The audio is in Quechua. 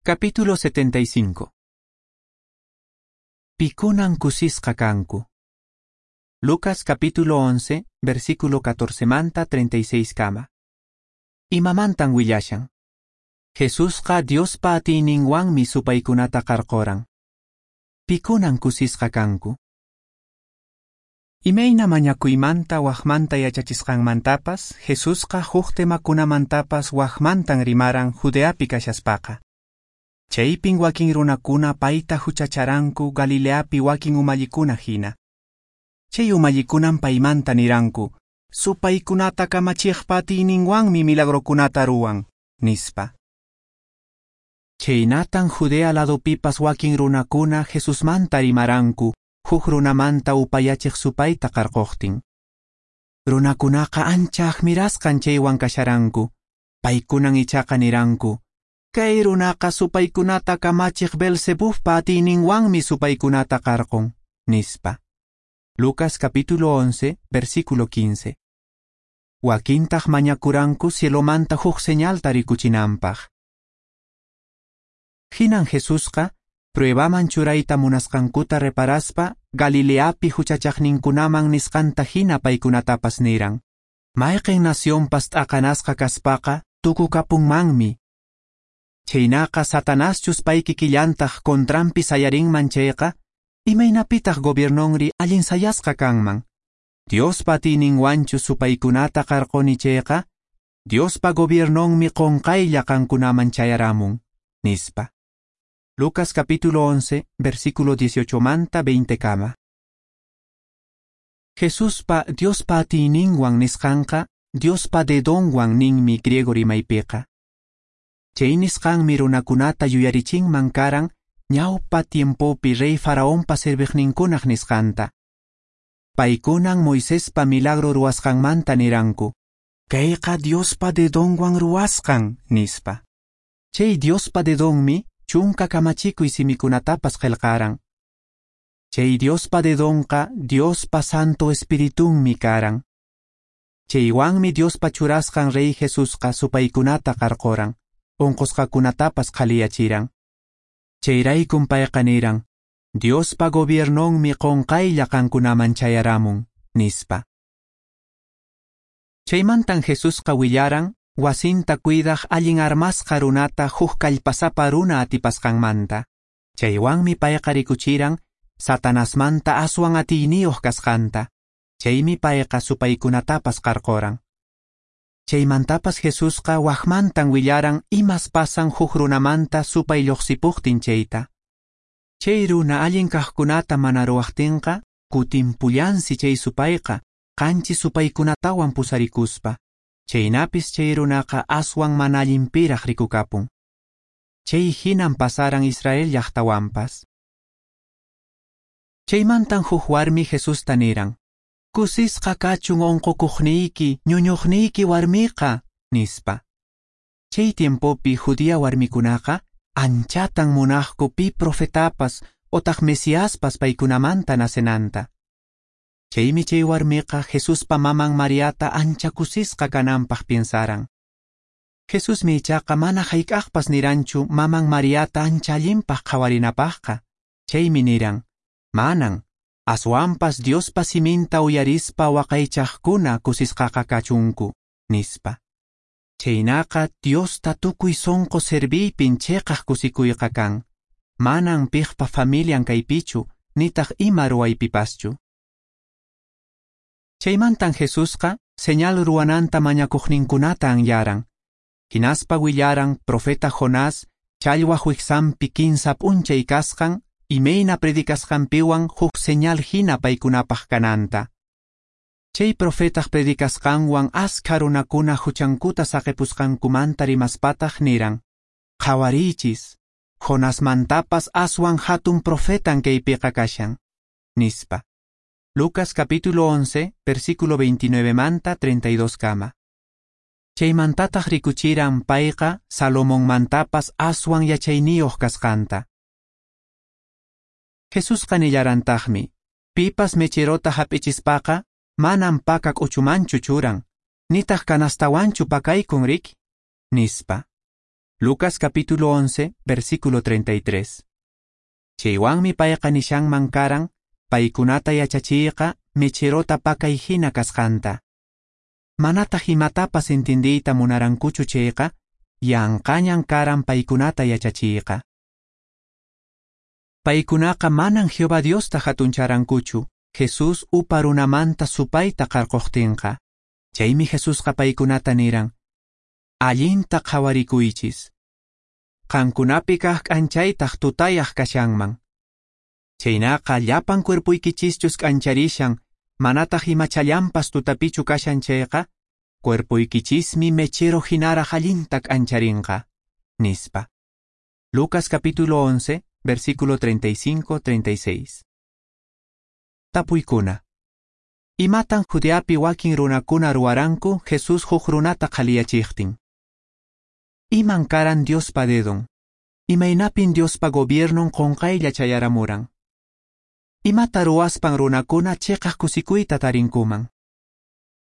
Capítulo 75. Pikunan kusisqa kanku. Lucas capítulo 11, versículo 14 manta 36 kama. Imamantan willashan. Jesusqa Diospa atiyninwanmi supaykunata qarquran. Pikunan kusisqa kanku. Imayna mañakuymanta waqmanta yachachisqanmantapas, Jesusqa huk temakunamantapas waqmantan rimaran Judeapi kashaspaqa. Chaypin wakin runakuna payta huchacharanku Galileapi wakin umallikuna hina. Chay umallikunan paymanta niranku, supaykunata kamachiqpa atiyninwanmi milagrokunata ruwan, nispa. Chaynatan Judea ladopipas wakin runakuna Jesusmanta rimaranku, huk runamanta upayachiq supayta qarquqtin. Runakunaqa ancha admirasqan chaywan kasharanku, paykunan ichaqa niranku, kay runaqa supaykunata kamachiq Beelzebubpa atiyninwanmi supaykunata qarqun, nispa. Lucas capítulo 11, versículo 15. Wakintaq mañakuranku cielomanta huk señalta rikuchinanpaq. Hinan Jesusqa pruebaman churayta munasqankuta reparaspa Galileapi huchachaqninkunaman nisqanta hina paykunatapas niran. Mayqin nacionpas t'aqanasqa kaspaqa tukukapunmanmi. Chaynaqa Satanaschus pay kikillantaq contranpi sayarinman chayqa, imaynapitaq gobiernonri allin sayasqa kanman. Diospa atiyninwanchu supaykunata qarquni chayqa, Diospa gobiernonmi qunqaylla qankunaman chayaramun, nispa. Lucas capítulo 11, versículo 18 manta 20 kama. Jesuspa Diospa atiyninwan nisqanqa, Diospa dedonwan ninmi griego rimaypiqa. Chay nisqanmi runakunata yuyarichinman karan ñawpa tiempopi rey Faraonpa serviqninkunaq nisqanta. Paykunan Moisespa milagro ruwasqanmanta niranku, kayqa Diospa dedonwan ruwasqan, nispa. Chay Diospa dedonmi chunka kamachikuy simikunatapas qillqaran. Chay Diospa dedonqa Diospa Santo Espiritunmi karan. Chaywanmi Diospa churasqan rey Jesusqa supaykunata qarquran, unqusqakunatapas qhaliyachiran. Chayraykum payqa niran, Diospa gobiernonmi qunqaylla qankunaman chayaramun, nispa. Chaymantan Jesusqa willaran, wasinta cuidaq allin armasqa runata huk kallpasapa runa atipasqanmanta. Chaywanmi payqa rikuchiran, Satanasmanta aswan atiyniyuq kasqanta. Chaymi payqa supaykunatapas qarquran. Chaymantapas Jesusqa waqmantan willaran imas pasan huk runamanta supay lluqsipuqtin chayta. Chay runa allin kaqkunata mana ruwaqtinqa, kutimpullansi chay supayqa, qanchis supaykunatawan pusarikuspa. Chaynapis chay runaqa aswan mana allinpiraq rikukapun. Chay hinan pasaran Israel llaqtawanpas. Chaymantan huk warmi Jesusta niran, kusisqa kachun unqukuqniyki, ñuñuqniyki warmiqa, nispa. Chay tiempopi judía warmikunaqa anchatan munaqku pi profetapas otaq Mesiaspas paykunamanta nacenanta. Chaymi chay warmiqa Jesuspa maman Mariata ancha kusisqa kananpaq piensaran. Jesusmi ichaqa mana hayk'aqpas niranchu maman Mariata ancha allinpaq qhawarinapaqqa. Chaymi niran, manan, aswanpas Diospa siminta uyarispa waqaychaqkuna kusisqaqa kachunku, nispa. Chaynaqa Diosta tukuy sunqu serviypin chiqaq kusikuyqa kan. Manan piqpa familian kaypichu, nitaq ima ruwaypipaschu. Chaymantan Jesusqa señal ruwananta mañakuqninkunata anyaran. Hinaspa willaran profeta Jonás challwaq wiksanpi kinsa p'unchay kasqan imayna predicasqanpiwan huk señal hina paykunapaq kananta. Chay profetaq predicasqanwan askha runakuna huchankuta saqipusqankumanta rimaspataq niran, qhawariychis, Jonasmantapas aswan hatun profetan kaypiqa kashan, nispa. Lucas capítulo 11, versículo 29 manta 32 kama. Chaymantataq rikuchiran payqa Salomonmantapas aswan yachayniyuq kasqanta. Jesusqa nillarantaqmi, pipas mecherota hap'ichispaqa manam paka k'uchumanchu churan, nitaq kanastawanchu pakaykun riki, nispa. Lucas capítulo 11, versículo 33. Chaywanmi payqa nishanman karan, paykunata yachachiyqa mecherota pakay hina kasqanta. Manataq imatapas entendiyta munarankuchu chayqa, yanqañan karan paykunata yachachiyqa. Paykunaqa manan Jehová Diosta hatuncharankuchu, Jesús upa runamanta supayta qarqoqtinqa. Chaymi Jesusqa paykunata niran, allinta qhawarikuychis. Qankunapi kaq k'anchaytaq tutayaq kashanman. Chaynaqa llapan cuerpuykichischus k'ancharishan, manataq imachallanpas tutapichu kashan chayqa, cuerpuykichismi mechero hinaraq allinta k'ancharinqa, nispa. Lucas capítulo 11, versículo 35-36. Tapuykuna. Imatan Judeapi wakin runakuna ruwaranku Jesús huk runata qhaliyachiqtin? Iman karan Diospa dedon? Imaynapin Diospa gobiernon qonqaylla chayaramuran? Imata ruwaspan runakuna cheqaq kusikuyta tarinkuman?